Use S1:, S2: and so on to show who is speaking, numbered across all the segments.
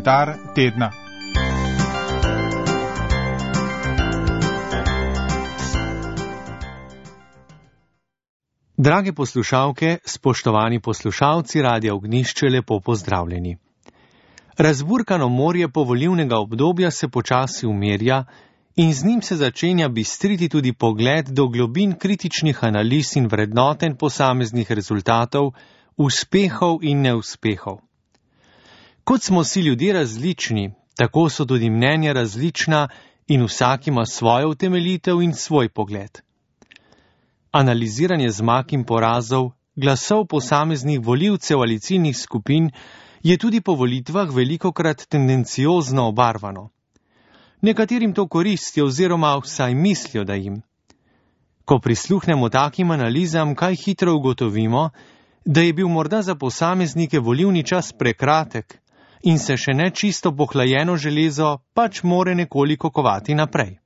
S1: Komentar tedna.
S2: Drage poslušalke, spoštovani poslušalci Radia Ognjišče, lepo pozdravljeni. Razburkano morje povolilnega obdobja se počasi umirja in z njim se začenja bistriti tudi pogled do globin kritičnih analiz in vrednoten posameznih rezultatov, uspehov in neuspehov. Kot smo si ljudje različni, tako so tudi mnenja različna in vsak ima svojo utemeljitev in svoj pogled. Analiziranje zmag in porazov, glasov posameznih volivcev ali ciljnih skupin je tudi po volitvah velikokrat tendenciozno obarvano. Nekaterim to koristi oziroma vsaj mislijo, da jim. Ko prisluhnemo takim analizam, kaj hitro ugotovimo, da je bil morda za posameznike volilni čas prekratek in se še ne čisto pohlajeno železo pač more nekoliko kovati naprej.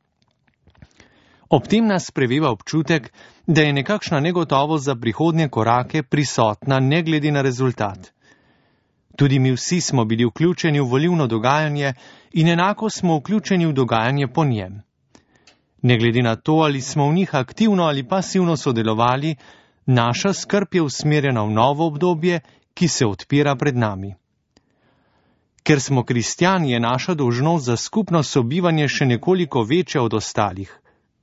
S2: Ob tem nas preveva občutek, da je nekakšna negotovost za prihodnje korake prisotna ne glede na rezultat. Tudi mi vsi smo bili vključeni v volilno dogajanje in enako smo vključeni v dogajanje po njem. Ne glede na to, ali smo v njih aktivno ali pasivno sodelovali, naša skrb je usmerjena v novo obdobje, ki se odpira pred nami. Ker smo kristjani, je naša dolžnost za skupno sobivanje še nekoliko večja od ostalih,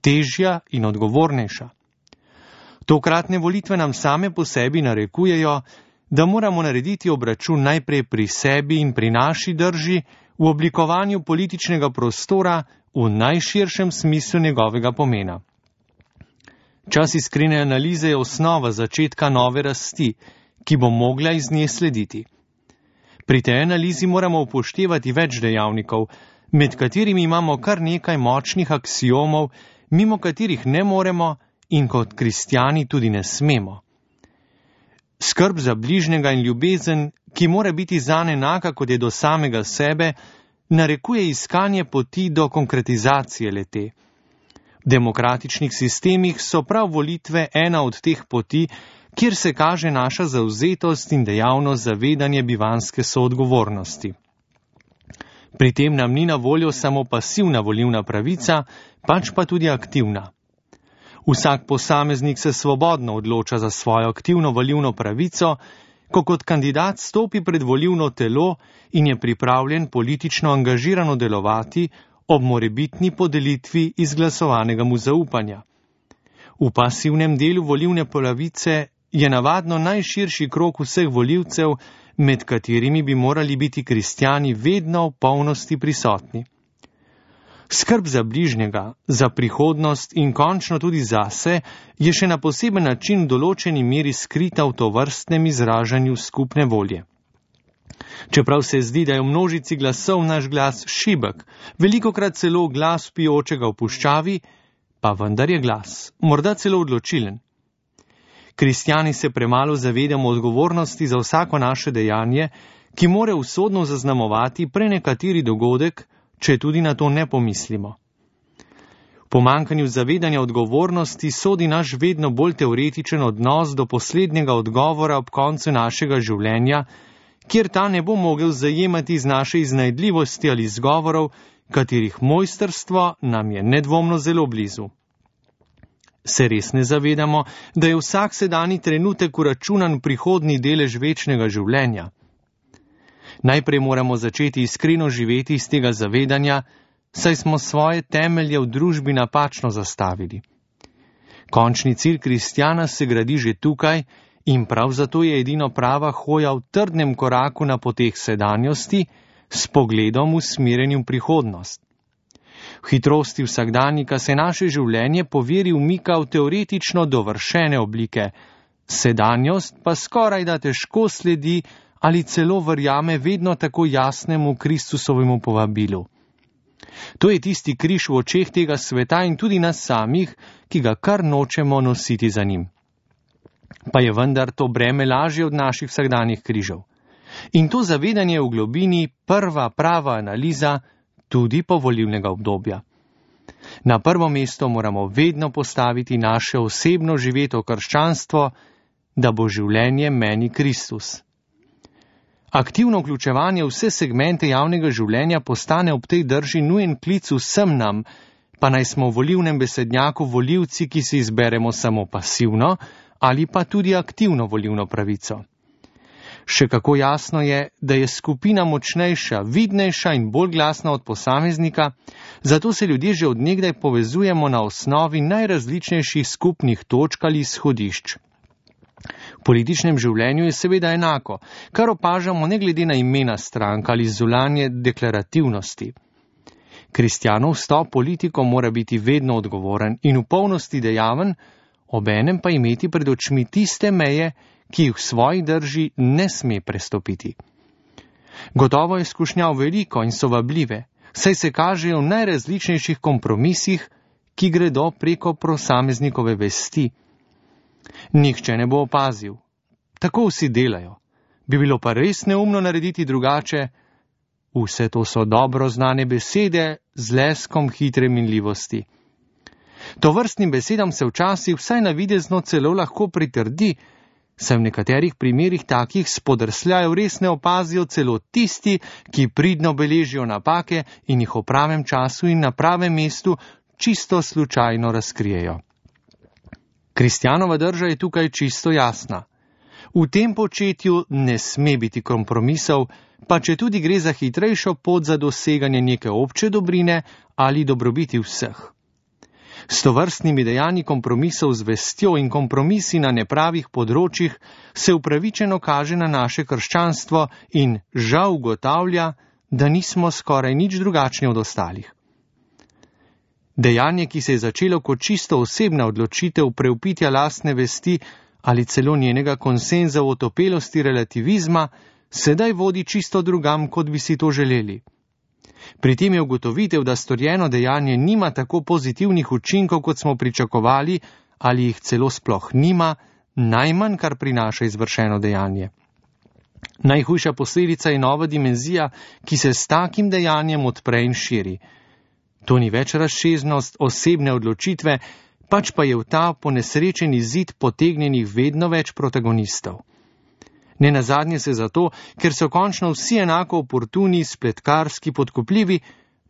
S2: težja in odgovornejša. Tokratne volitve nam same po sebi narekujejo, da moramo narediti obračun najprej pri sebi in pri naši drži v oblikovanju političnega prostora v najširšem smislu njegovega pomena. Čas iskrene analize je osnova začetka nove rasti, ki bo mogla iz nje slediti. Pri tej analizi moramo upoštevati več dejavnikov, med katerimi imamo kar nekaj močnih aksiomov, mimo katerih ne moremo in kot kristjani tudi ne smemo. Skrb za bližnjega in ljubezen, ki mora biti zanj enaka, kot je do samega sebe, narekuje iskanje poti do konkretizacije le-te. V demokratičnih sistemih so prav volitve ena od teh poti, kjer se kaže naša zavzetost in dejavnost zavedanje bivanske soodgovornosti. Pri tem nam ni na voljo samo pasivna volilna pravica, pač pa tudi aktivna. Vsak posameznik se svobodno odloča za svojo aktivno volilno pravico, ko kot kandidat stopi pred volilno telo in je pripravljen politično angažirano delovati ob morebitni podelitvi izglasovanega mu zaupanja. V pasivnem delu volilne pravice je navadno najširši krog vseh volivcev, med katerimi bi morali biti kristjani vedno v polnosti prisotni. Skrb za bližnjega, za prihodnost in končno tudi zase je še na poseben način v določeni meri skrita v tovrstnem izražanju skupne volje. Čeprav se zdi, da je v množici glasov naš glas šibek, velikokrat celo glas vpijočega v puščavi, pa vendar je glas, morda celo odločilen. Kristjani se premalo zavedamo odgovornosti za vsako naše dejanje, ki more usodno zaznamovati prenekateri dogodek, če tudi na to ne pomislimo. V pomanjkanju zavedanja odgovornosti sodi naš vedno bolj teoretičen odnos do poslednjega odgovora ob koncu našega življenja, kjer ta ne bo mogel zajemati iz naše iznajdljivosti ali izgovorov, katerih mojstrstvo nam je nedvomno zelo blizu. Se res ne zavedamo, da je vsak sedanji trenutek uračunan v prihodnji delež večnega življenja? Najprej moramo začeti iskreno živeti iz tega zavedanja, saj smo svoje temelje v družbi napačno zastavili. Končni cilj kristjana se gradi že tukaj in prav zato je edino prava hoja v trdnem koraku na poteh sedanjosti s pogledom usmerjenim v prihodnost. V hitrosti vsakdanjika se naše življenje po veri umika v teoretično dovršene oblike, sedanjost pa skoraj da težko sledi ali celo verjame vedno tako jasnemu Kristusovemu povabilu. To je tisti križ v očeh tega sveta in tudi nas samih, ki ga kar nočemo nositi za njim. Pa je vendar to breme lažje od naših vsakdanjih križev. In to zavedanje v globini prva prava analiza tudi povolilnega obdobja. Na prvo mesto moramo vedno postaviti naše osebno živeto krščanstvo, da bo življenje meni Kristus. Aktivno vključevanje v vse segmente javnega življenja postane ob tej drži nujen klic vsem nam, pa naj smo v volilnem besednjaku volivci, ki si izberemo samo pasivno ali pa tudi aktivno volilno pravico. Še kako jasno je, da je skupina močnejša, vidnejša in bolj glasna od posameznika, zato se ljudje že od nekdaj povezujemo na osnovi najrazličnejših skupnih točk ali izhodišč. V političnem življenju je seveda enako, kar opažamo ne glede na imena strank ali zunanje deklarativnosti. Kristjanov vstop politiko mora biti vedno odgovoren in v polnosti dejaven, obenem pa imeti pred očmi tiste meje, ki jih v svoji drži ne sme prestopiti. Gotovo je skušnjav veliko in so vabljive, saj se kažejo v najrazličnejših kompromisih, ki gredo preko posameznikove vesti. Nihče ne bo opazil. Tako vsi delajo. Bi bilo pa res neumno narediti drugače? Vse to so dobro znane besede z leskom hitre minljivosti. Tovrstnim besedam se včasih vsaj navidezno celo lahko pritrdi, saj v nekaterih primerih takih spodrsljajev res ne opazijo celo tisti, ki pridno beležijo napake in jih v pravem času in na pravem mestu čisto slučajno razkrijejo. Kristjanova drža je tukaj čisto jasna. V tem početju ne sme biti kompromisov, pa če tudi gre za hitrejšo pot za doseganje neke obče dobrine ali dobrobiti vseh. S tovrstnimi dejanji kompromisov z vestjo in kompromisi na nepravih področjih se upravičeno kaže na naše krščanstvo in žal ugotavlja, da nismo skoraj nič drugačni od ostalih. Dejanje, ki se je začelo kot čisto osebna odločitev preupitja lastne vesti ali celo njenega konsenza v otopelosti relativizma, sedaj vodi čisto drugam, kot bi si to želeli. Pri tem je ugotovitev, da storjeno dejanje nima tako pozitivnih učinkov, kot smo pričakovali, ali jih celo sploh nima, najmanj, kar prinaša izvršeno dejanje. Najhujša posledica je nova dimenzija, ki se s takim dejanjem odpre in širi. To ni več razsežnost osebne odločitve, pač pa je v ta ponesrečeni zid potegnjenih vedno več protagonistov. Ne nazadnje se zato, ker so končno vsi enako oportuni, spletkarski, podkupljivi,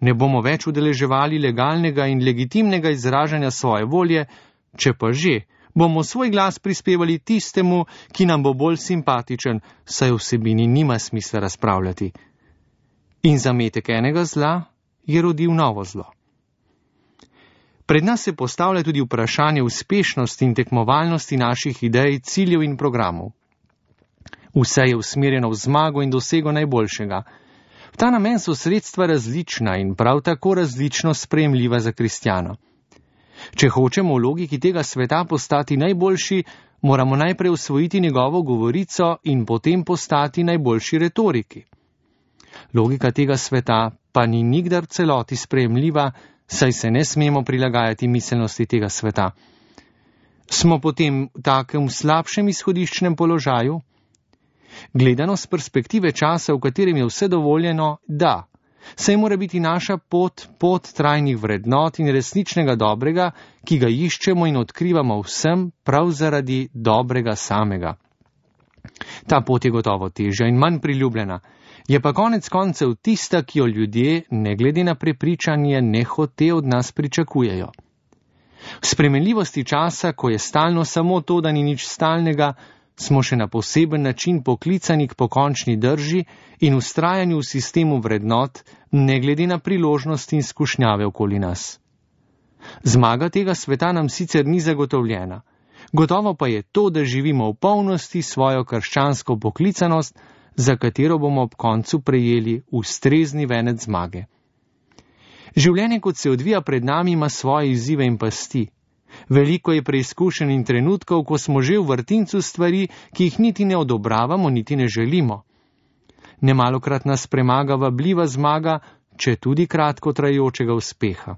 S2: ne bomo več udeleževali legalnega in legitimnega izražanja svoje volje, če pa že, bomo svoj glas prispevali tistemu, ki nam bo bolj simpatičen, saj v vsebini nima smisla razpravljati. In zametek enega zla je rodil novo zlo. Pred nas se postavlja tudi vprašanje uspešnosti in tekmovalnosti naših idej, ciljev in programov. Vse je usmerjeno v zmago in dosego najboljšega. V ta namen so sredstva različna in prav tako različno sprejemljiva za kristjana. Če hočemo v logiki tega sveta postati najboljši, moramo najprej usvojiti njegovo govorico in potem postati najboljši retoriki. Logika tega sveta pa ni nikdar v celoti sprejemljiva, saj se ne smemo prilagajati miselnosti tega sveta. Smo potem v takem slabšem izhodiščnem položaju? Gledano z perspektive časa, v katerem je vse dovoljeno, da, saj mora biti naša pot trajnih vrednot in resničnega dobrega, ki ga iščemo in odkrivamo vsem prav zaradi dobrega samega. Ta pot je gotovo težja in manj priljubljena, je pa konec koncev tista, ki jo ljudje, ne glede na prepričanje, nehote od nas pričakujejo. V spremenljivosti časa, ko je stalno samo to, da ni nič stalnega, smo še na poseben način poklicani k pokončni drži in vztrajanju v sistemu vrednot, ne glede na priložnosti in skušnjave okoli nas. Zmaga tega sveta nam sicer ni zagotovljena. Gotovo pa je to, da živimo v polnosti svojo krščansko poklicanost, za katero bomo ob koncu prejeli ustrezni venec zmage. Življenje, kot se odvija pred nami, ima svoje izzive in pasti. Veliko je preizkušenj in trenutkov, ko smo že v vrtincu stvari, ki jih niti ne odobravamo, niti ne želimo. Nemalokrat nas premaga vabljiva zmaga, če tudi kratko trajajočega uspeha.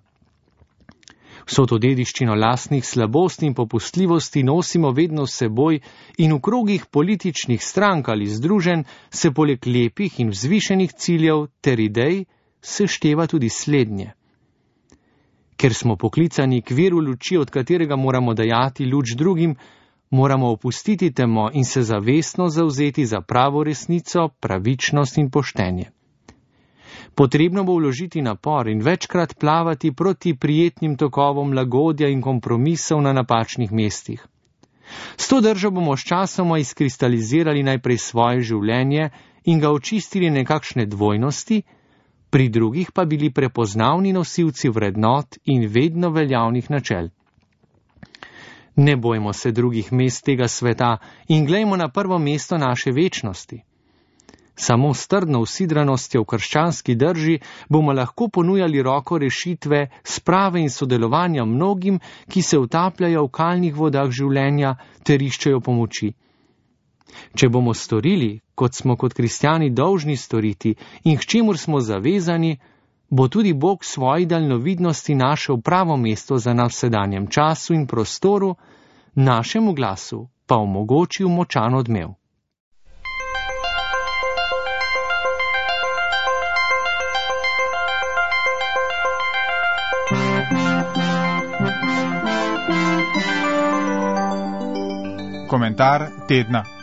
S2: Vso to dediščino lastnih slabosti in popustljivosti nosimo vedno s seboj in v krogih političnih strank ali združenj se poleg lepih in vzvišenih ciljev ter idej sešteva tudi slednje. Ker smo poklicani k viru luči, od katerega moramo dajati luč drugim, moramo opustiti temo in se zavestno zavzeti za pravo resnico, pravičnost in poštenje. Potrebno bo vložiti napor in večkrat plavati proti prijetnim tokovom lagodja in kompromisov na napačnih mestih. S to držo bomo sčasoma izkristalizirali najprej svoje življenje in ga očistili nekakšne dvojnosti, pri drugih pa bili prepoznavni nosilci vrednot in vedno veljavnih načel. Ne bojmo se drugih mest tega sveta in glejmo na prvo mesto naše večnosti. Samo s trdno usidranostjo v krščanski drži bomo lahko ponujali roko rešitve, sprave in sodelovanja mnogim, ki se utapljajo v kalnih vodah življenja ter iščejo pomoči. Če bomo storili, kot smo kot kristjani dolžni storiti in k čemur smo zavezani, bo tudi Bog svoji daljnovidnosti našel pravo mesto za nas v sedanjem času in prostoru, našemu glasu pa omogočil močan odmev.
S1: Komentar tedna.